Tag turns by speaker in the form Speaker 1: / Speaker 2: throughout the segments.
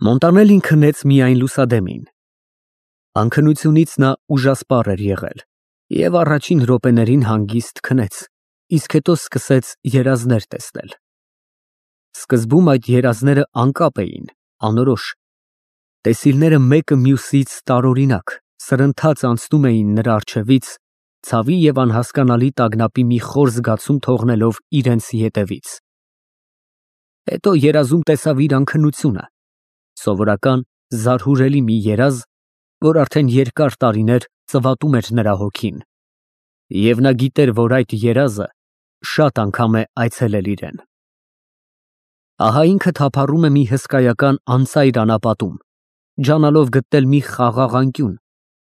Speaker 1: Մոնտանելին քնեց միայն լուսադեմին։ Անքնությունից նա ուժասպառ էր եղել և առաջին րոպեներին հանգիստ քնեց, իսկ հետո սկսեց երազներ տեսնել։ Սկզբում այդ երազները անկապ էին, անորոշ։ Տեսիլները մեկը մյուսից տարօրինակ, սրընթաց անցնում էին նրա առջևից, ցավի և անհասկանալի տագնապի մի խոր զգացում թողնելով իրենց ետևից։ Հետո երազում տեսավ իր անքնությունը, սովորական զարհուրելի մի երազ, որ արդեն երկար տարիներ ծվատում էր նրա հոգին, և նա գիտեր, որ այդ երազը շատ անգամ է այցելել իրեն։ Ահա ինքը թափառում է մի հսկայական անծայր անապատում, ջանալով գտնել մի խաղաղ անկյուն,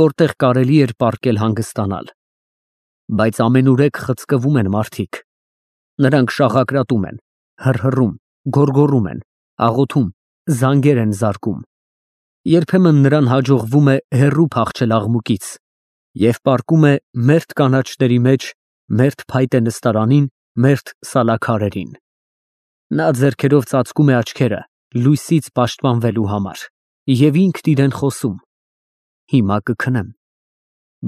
Speaker 1: որտեղ կարելի էր պառկել հանգստանալ։ Բայց ամենուրեք խցկվում են մարդիկ։ Նրանք շաղակրատում են, հռհռում, գոռգոռում են, աղոթում, զանգեր են զարկում։ Երբեմն նրան հաջողվում է հեռու փախչել աղմուկից և պառկում է մերթ կանաչների մեջ, մերթ փայտե նստարանին, մերթ սալաքարերին։ Նա ձեռքերով ծածկում է աչքերը լույսից պաշտպանվելու համար և ինքն իրեն խոսում. «Հիմա կքնեմ»։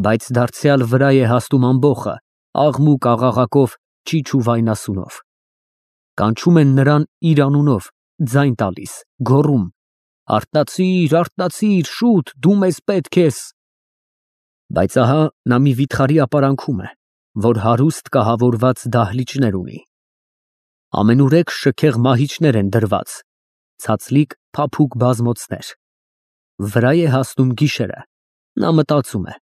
Speaker 1: Բայց դարձյալ վրա է հասնում ամբոխը, աղմուկ աղաղակով, ճիչ ու վայնասունով։ Կանչում են նրան իր անունով, ձայն տալիս, գոռում. «Արթնացիր, արթնացիր, շուտ, դու մեզ պետք ես»։ Բայց ահա նա մի վիթխարի ապարանքում է, որ հարուստ կահավորված դահլիճներ ունի։ Ամենուրեք շքեղ մահիճներ են դրված, ցածլիկ փափուկ բազմոցներ։ Վրա է հասնում գիշերը, նա մտածում է.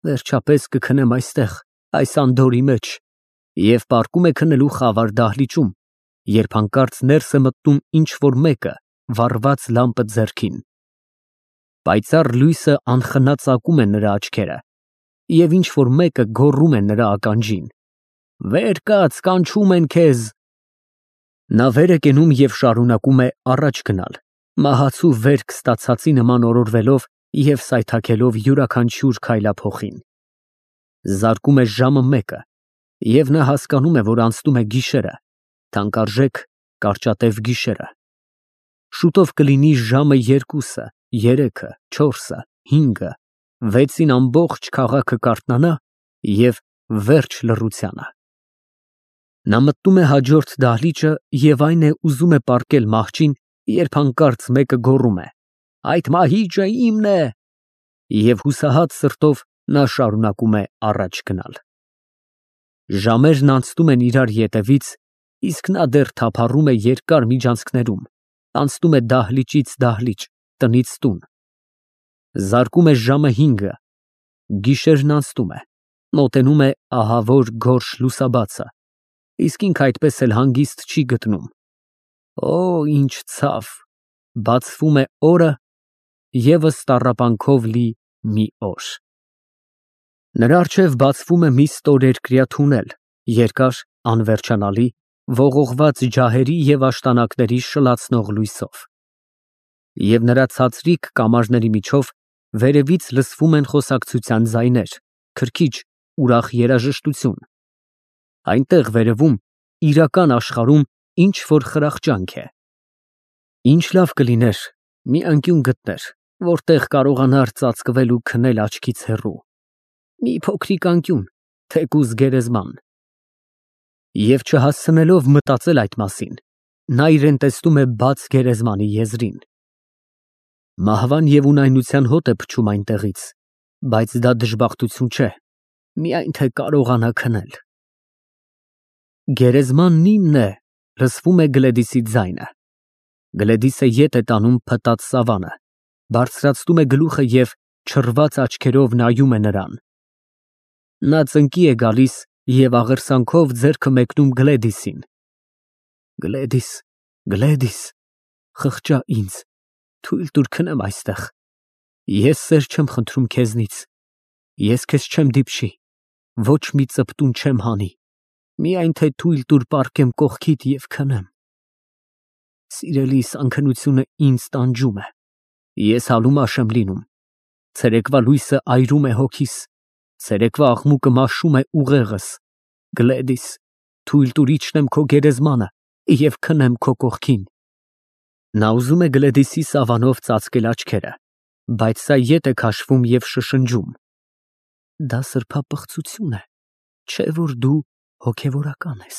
Speaker 1: «Վերջապես կքնեմ այստեղ, այս անդորրի մեջ», և պառկում է քնելու խավար դահլիճում, երբ հանկարծ ներս է մտնում ինչ֊որ մեկը վառված լամպը ձեռքին։ Պայծառ լույսը անխնա ծակում է նրա աչքերը, և ինչ֊որ մեկը գոռում է նրա ականջին. «Վեր կաց, կանչում են քեզ»։ Նա վեր է կենում և շարունակում է առաջ գնալ, մահացու վերք ստացածի նման օրորվելով և սայթաքելով յուրաքանչյուր քայլափոխին։ Զարկում է ժամը մեկը, և նա հասկանում է, որ անցնում է գիշերը, թանկարժեք կարճատև գիշերը։ Շուտով կլինի ժամը երկուսը, երեքը, չորսը, հինգը, վեցին ամբողջ քաղաքը կարթնանա և վերջ լռությանը։ Նա մտնում է հաջորդ դահլիճը և այն է ուզում է պառկել մահճին, երբ հանկարծ մեկը գոռում է. «Այդ մահիճը իմն է»։ Եվ հուսահատ սրտով նա շարունակում է առաջ գնալ։ Ժամերն անցնում են իրար ետևից, իսկ նա դեռ թափառում է երկար միջանցքներում, անցնում է դահլիճից դահլիճ, տնից տուն։ Զարկում է ժամը հինգը, գիշերն անցնում է, մոտենում է ահավոր գորշ լուսաբացը, իսկ ինքը այդպես էլ հանգիստ չի գտնում։ Օ, ինչ ցավ, բացվում է օրը, ևս տառապանքով լի մի օր։ Նրա առջև բացվում է մի ստորերկրյա թունել, երկար, անվերջանալի, ողողված ջահերի և աշտանակների շլացնող լույսով։ Եվ նրա ցածրիկ կամարների միջով վերևից լսվում են խոսակցության ձայներ, քրքիջ, ուրախ երաժշտություն։ Այնտեղ վերևում, իրական աշխարհում ինչ֊որ խրախճանք է։ Ինչ լավ կլիներ մի անկյուն գտներ, որտեղ կարողանար ծածկվել ու քնել աչքից հեռու, մի փոքրիկ անկյուն, թեկուզ գերեզման։ Եվ չհասցնելով մտածել այդ մասին, նա իրեն տեսնում է բաց գերեզմանի եզրին։ Մահվան և ունայնության հոտ է փչում այնտեղից, բայց դա դժբախտություն չէ, միայն թե կարողանա քնել։ Գերեզմանն իմն է, լսվում է Գլեդիսի ձայնը։ Գլեդիսը ետ է տանում փտած սավանը, բարձրացնում է գլուխը և չռված աչքերով նայում է նրան։ Նա ծնկի է գալիս և աղերսանքով ձեռքը մեկնում Գլեդիսին։ Գլեդիս, Գլեդիս, խղճա ինձ, թույլ տուր քնեմ այստեղ։ Ես սեր չեմ խնդրում քեզնից, ես քեզ չեմ դիպչի, ոչ մի ծպտուն չեմ հանի, միայն թե թույլ տուր պառկեմ կողքիդ և քնեմ։ Սիրելիս, անքնությունը ինձ տանջում է, ես հալումաշ եմ լինում, ցերեկվա լույսը այրում է հոգիս, ցերեկվա աղմուկը մաշում է ուղեղս։ Գլեդիս, թույլ տուր իջնեմ քո գերեզմանը և քնեմ քո կողքին։ Նա ուզում է Գլեդիսի սավանով ծածկել աչքերը, բայց սա ետ է քաշվում և շշնջում. դա սրբապղծություն է, չէ որ դու հոգևորական ես։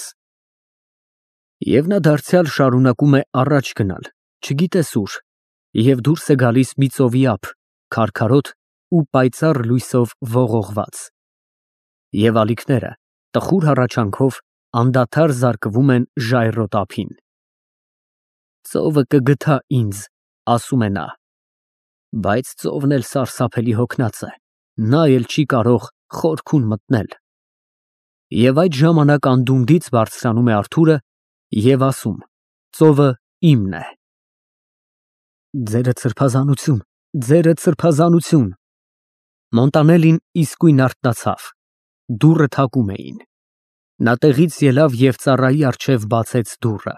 Speaker 1: Եվ նա դարձյալ շարունակում է առաջ գնալ, չգիտես ուր, և դուրս է գալիս մի ծովի ափ, քարքարոտ ու պայծառ լույսով ողողված։ Եվ ալիքները տխուր հառաչանքով անդադար զարկվում են ժայռոտ ափին։ Ծովը կգթա ինձ, ասում է նա, բայց ծովն էլ սարսափելի հոգնած է, նա էլ չի կարող խորքուն մտնել։ Եվ այդ ժամանակ անդունդից բարձրանում է Արթուրը և ասում. ծովը իմն է։ Ձերդ սրբազանություն, ձերդ սրբազանություն։ Մոնտանելին իսկույն արթնացավ, դուռը թակում էին։ Նա տեղից ելավ և ծառայի առջև բացեց դուռը։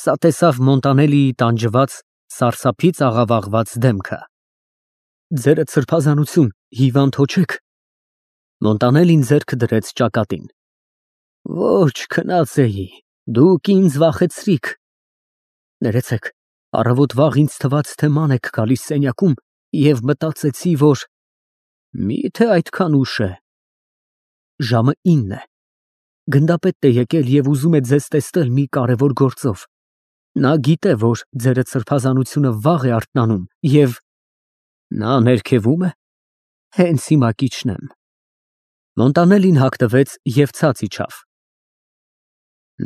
Speaker 1: Սա տեսավ Մոնտանելիի տանջված, սարսափից աղավաղված դեմքը։ Ձերդ սրբազանություն, հիվանդ հո չեք։ Մոնտանելին ձեռքը դրեց ճակատին։ Ոչ, քնած էի, դուք ինձ վախեցրիք։ Ներեցեք, առավոտ վաղ ինձ թվաց, թե ման եք գալիս սենյակում և մտածեցի, որ… Միթե այդքան ուշ է։ Ժամը 9 է։ Գնդապետն է եկել և ուզում է ձեզ տեսնել մի կարևոր գործով։ Նա գիտե, որ ձերդ սրբազանությունը վաղ է արթնանում և… Նա ներքևում է։ Հենց հիմա կիջնեմ։ Մոնտանելին հագնվեց և ցած իջավ։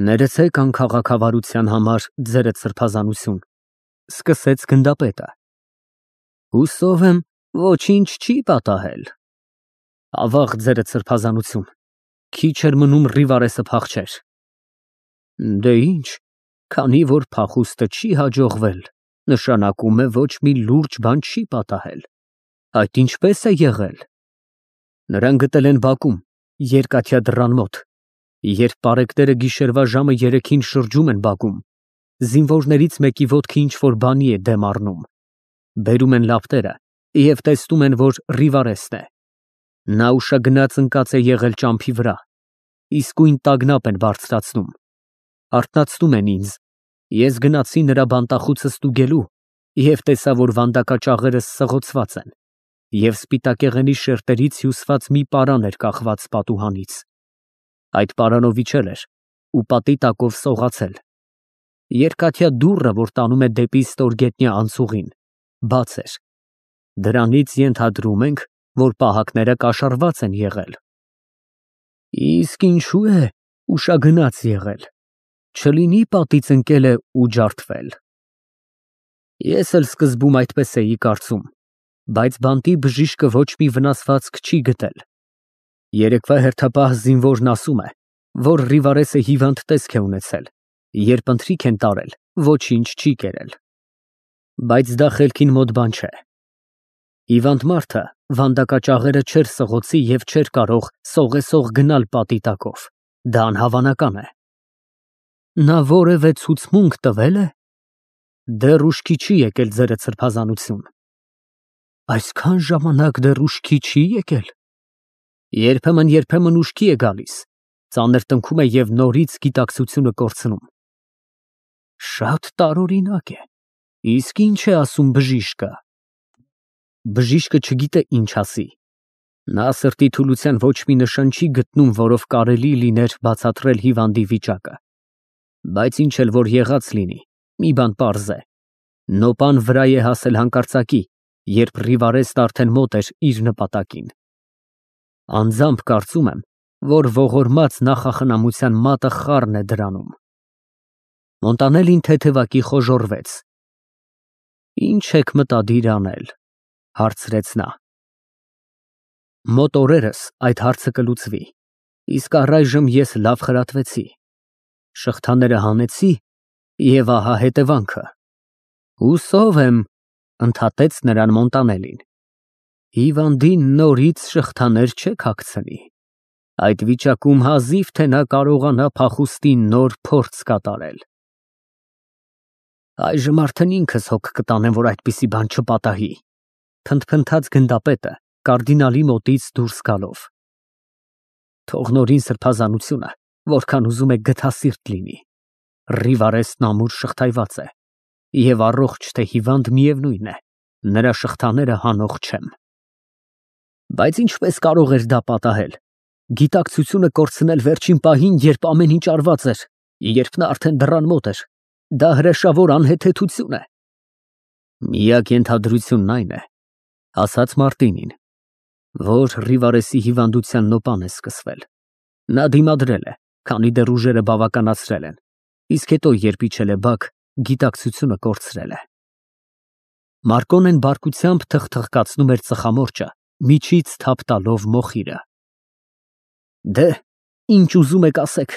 Speaker 1: Ներեցեք անքաղաքավարության համար, ձերդ սրբազանություն, սկսեց գնդապետը։ Հուսով եմ, ոչինչ չի պատահել։ Ավաղ, ձերդ սրբազանություն, քիչ էր մնում Ռիվարեսը փախչեր։ Դե ինչ, քանի որ փախուստը չի հաջողվել, նշանակում է ոչ մի լուրջ բան չի պատահել։ Այդ ինչպե՞ս է եղել։ Նրան գտել են բակում, երկաթյա դռան մոտ։ Երբ պարեկները գիշերվա ժամը 3-ին շրջում են բակում, զինվորներից մեկի ոտքը ինչ-որ բանի է դեմ առնում։ Բերում են լապտերը և տեսնում են, որ Ռիվարեսն է։ Նա ուշագնաց ընկած է եղել ճամփի վրա։ Իսկույն տագնապ են բարձրացնում։ Արթնացնում են ինձ։ Ես գնացի նրա բանտախուցը ստուգելու և տեսա, որ վանդակաճաղերս սղոցված են, և սպիտակեղենի շերտերից հյուսված մի պարան էր կախված պատուհանից։ Այդ պարանով իջել էր ու պատի տակով սողացել։ Երկաթյա դուռը, որ տանում է դեպի ստորգետնյա անցուղին, բաց էր։ Դրանից ենթադրում ենք, որ պահակները կաշառված են եղել։ Իսկ ինչու է ուշագնաց եղել։ Չլինի պատից ընկել է ու ջարդվել։ Ես էլ սկզբում այդպես էի կարծում, բայց բանտի բժիշկը ոչ մի վնասվածք չի գտել։ Երեկվա հերթապահ զինվորն ասում է, որ Ռիվարեսը հիվանդ տեսք է ունեցել, երբ ընթրիք են տարել, ոչինչ չի կերել։ Բայց դա խելքին մոտ բան չէ։ Հիվանդ մարդը վանդակաճաղերը չէր սղոցի և չէր կարող սողեսող գնալ պատի տակով։ Դա անհավանական է։ Նա որևէ ցուցմունք տվե՞լ է։ Դեռ ուշքի չի եկել, ձերդ սրբազանություն։ Այսքան ժամանակ դեռ ուշքի չի եկել։ Երբեմն ուշքի է գալիս, ծանր տնքում է և նորից գիտակցությունը կորցնում։ Շատ տարօրինակ է։ Իսկ ինչ է ասում բժիշկը։ Բժիշկը չգիտե ինչ ասի։ Նա սրտի թուլության ոչ մի նշան չի գտնում, որով կարելի լիներ բացատրել հիվանդի վիճակը։ Բայց ինչ էլ որ եղած լինի, մի բան պարզ է. նոպան վրա է հասել հանկարծակի, երբ Ռիվարեսն արդեն մոտ էր իր նպատակին։ Անձամբ կարծում եմ, որ ողորմած նախախնամության մատը խառն է դրանում։ Մոնտանելին թեթևակի խոժոռվեց։ Ինչ եք մտադիր անել, հարցրեց նա։ Մոտ օրերս այդ հարցը կլուծվի, իսկ առայժմ ես լավ խրատվեցի։ Շղթաները հանեցի և ահա հետևանքը։ Հուսով եմ, ընդհատեց նրան Մոնտանելին, հիվանդին նորից շղթաներ չեք հագցնի։ Այդ վիճակում հազիվ թե նա կարողանա փախուստի նոր փորձ կատարել։ Այժմ արդեն ինքս հոգ կտանեմ, որ այդպիսի բան չպատահի, փնթփնթաց գնդապետը կարդինալի մոտից դուրս գալով։ Թող նորին սրբազանությունը, որքան ուզում եք գթասիրտ լինի։ Ռիվարեսն ամուր շղթայված է։ Եվ առողջ թե հիվանդ միևնույն է, նրա շղթաները հանող չեմ։ Բայց ինչպես կարող էր դա պատահել։ Գիտակցությունը կորցնել վերջին պահին, երբ ամեն ինչ արված էր, երբ նա արդեն դռան մոտ էր։ Դա հրեշավոր անհեթեթություն է։ Միակ ենթադրությունն այն է, ասաց Մարտինին, որ Ռիվարեսի հիվանդության նոպան է սկսվել։ Նա դիմադրել է, քանի դեռ ուժերը բավականացրել են, իսկ հետո, երբ իջել է բակ, գիտակցությունը կորցրել է։ Մարկոնեն բարկությամբ թխթխկացնում էր ծխամորճը, միջից թափ տալով մոխիրը։ Դե, ինչ ուզում եք ասեք,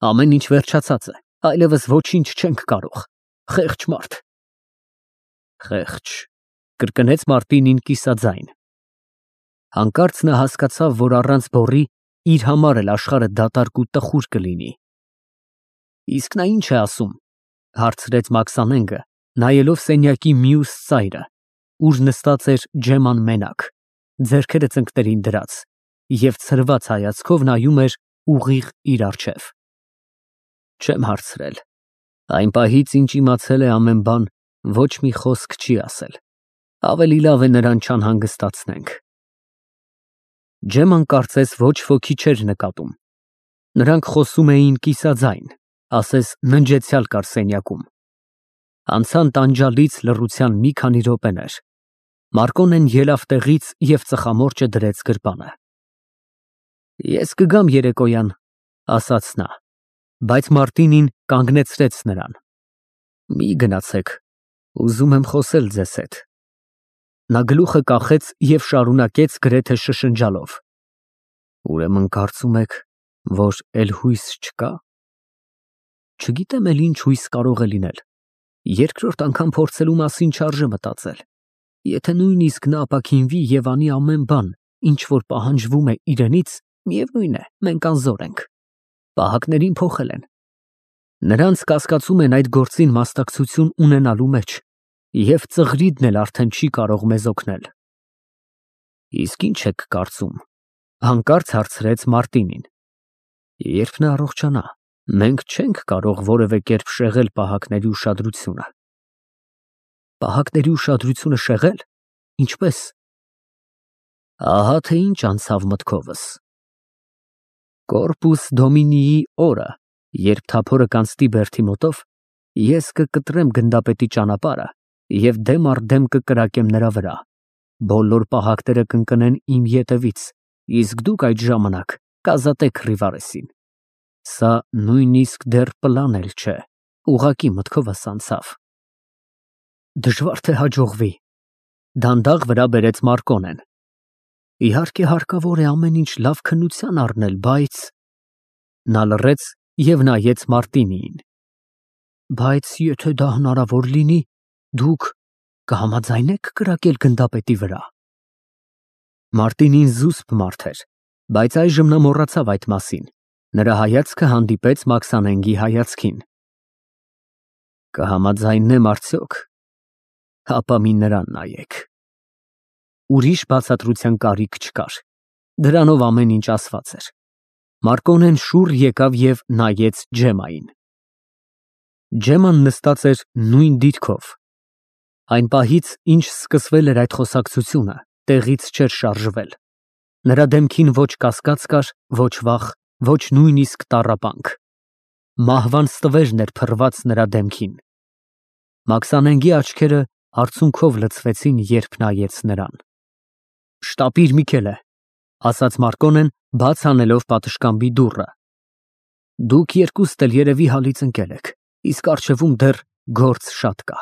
Speaker 1: ամեն ինչ վերջացած է, այլևս ոչինչ չենք կարող, խեղճ մարդ։ Խեղճ, կրկնեց Մարտինին կիսաձայն։ Հանկարծ նա հասկացավ, որ առանց բոռի իր համար էլ աշխարհը դատարկ ու տխուր կլինի։ Իսկ նա ինչ է ասում, հարցրեց Մաքսանենգը, նայելով սենյակի մյուս ծայրը, ուր նստած էր Ջեման մենակ, ձեռքերը ծնկներին դրած, և ցրված հայացքով նայում էր ուղիղ իր առջև։ Չեմ հարցրել, այն պահից, ինչ իմացել է ամեն բան, ոչ մի խոսք չի ասել, ավելի լավ է նրան չանհանգստացնենք։ Ջեման կարծես ոչ ոքի չէր նկատում, նրանք խոսում էին կիսաձայն, ասես ննջեցյալ կար սենյակում։ Անցան տանջալից լռության մի քանի րոպեներ, Մարկոնեն ելավ տեղից և ծխամորճը դրեց գրպանը։ Ես կգամ երեկոյան, ասաց նա, բայց Մարտինին կանգնեցրեց նրան։ Մի գնացեք, ուզում եմ խոսել ձեզ հետ։ Նա գլուխը կախեց և շարունակեց գրեթե շշնջալով. Ուրեմն կարծում եք, որ էլ հույս չկա։ Չգիտեմ էլ ինչ հույս կարող է լինել։ Երկրորդ անգամ փորձելու մասին չարժե մտածել։ Եթե նույնիսկ նա ապաքինվի և անի ամեն բան, ինչ որ պահանջվում է իրենից, միևնույն է, մենք անզոր ենք։ Պահակներին փոխել են։ Նրանց կասկածում են այդ գործին մասնակցություն ունենալու մեջ, և ծղրիդն էլ արդեն չի կարող մեզ օգնել։ Իսկ ինչ եք կարծում, հանկարծ հարցրեց Մարտինին։ Երբ նա առողջանա, մենք չենք կարող որևէ կերպ շեղել պահակների ուշադրությունը։ Պահակների ուշադրությունը շեղել, ինչպես։ Ահա թե ինչ անցավ մտքովս։ Կորպուս Դոմինիի օրը, երբ թափորը կանցնի Բերթի մոտով, ես կկտրեմ գնդապետի ճանապարհը և դեմ առ դեմ կկրակեմ նրա վրա։ Բոլոր պահակները կընկնեն իմ ետևից, իսկ դուք այդ ժամանակ կազատեք Ռիվարեսին։ Սա նույնիսկ դեռ պլան էլ չէ, ուղղակի մտքովս անցավ։ Դժվար թե հաջողվի, դանդաղ վրա բերեց Մարկոնեն։ Իհարկե հարկավոր է ամեն ինչ լավ քննության առնել, բայց… Նա լռեց և նայեց Մարտինիին։ Բայց եթե դա հնարավոր լինի, դուք կհամաձայնե՞ք կրակել գնդապետի վրա։ Մարտինին զուսպ մարդ էր, բայց այժմ նա մոռացավ այդ մասին։ Նրա հայացքը հանդիպեց Մաքսանենգի հայացքին։ Կհամաձայնեմ արդյոք, հապա մի նրան նայեք։ Ուրիշ բացատրության կարիք չկար։ Դրանով ամեն ինչ ասված էր։ Մարկոնեն շուռ եկավ և նայեց Ջեմային։ Ջեման նստած էր նույն դիրքով։ Այն պահից, ինչ սկսվել էր այդ խոսակցությունը, տեղից չէր շարժվել։ Նրա դեմքին ոչ կասկած կար, ոչ վախ, ոչ նույնիսկ տառապանք։ Մահվան ստվերն էր փռված նրա դեմքին։ Մաքսանենգի աչքերը արցունքով լցվեցին, երբ նայեց նրան։ Շտապիր Միքելը, ասաց Մարկոնեն, բաց անելով պատշգամբի դուռը։ Դուք երկուստ էլ երևի հալից ընկել եք, իսկ առջևում դեռ գործ շատ կա։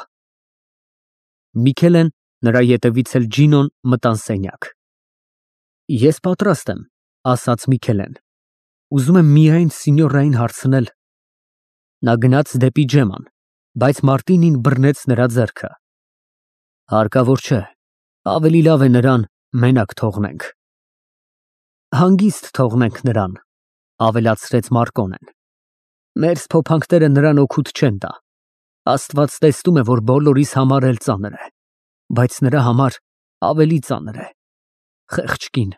Speaker 1: Միքելեն, նրա ետևից էլ Ջինոն մտան սենյակ։ Ես պատրաստ եմ, ասաց Միքելեն։ Ուզում եմ միայն սինյորային հարցնել։ Նա գնաց դեպի Ջեման, բայց Մարտինին բռնեց նրա ձեռքը։ Հարկավոր չէ, ավելի լավ է նրան մենակ թողնենք։ Հանգիստ թողնենք նրան, ավելացրեց Մարկոնեն։ Մեր սփոփանքները նրան օգուտ չեն տա։ Աստված տեսնում է, որ բոլորիս համար էլ ծանր է, բայց նրա համար ավելի ծանր է։ Խեղճ կին։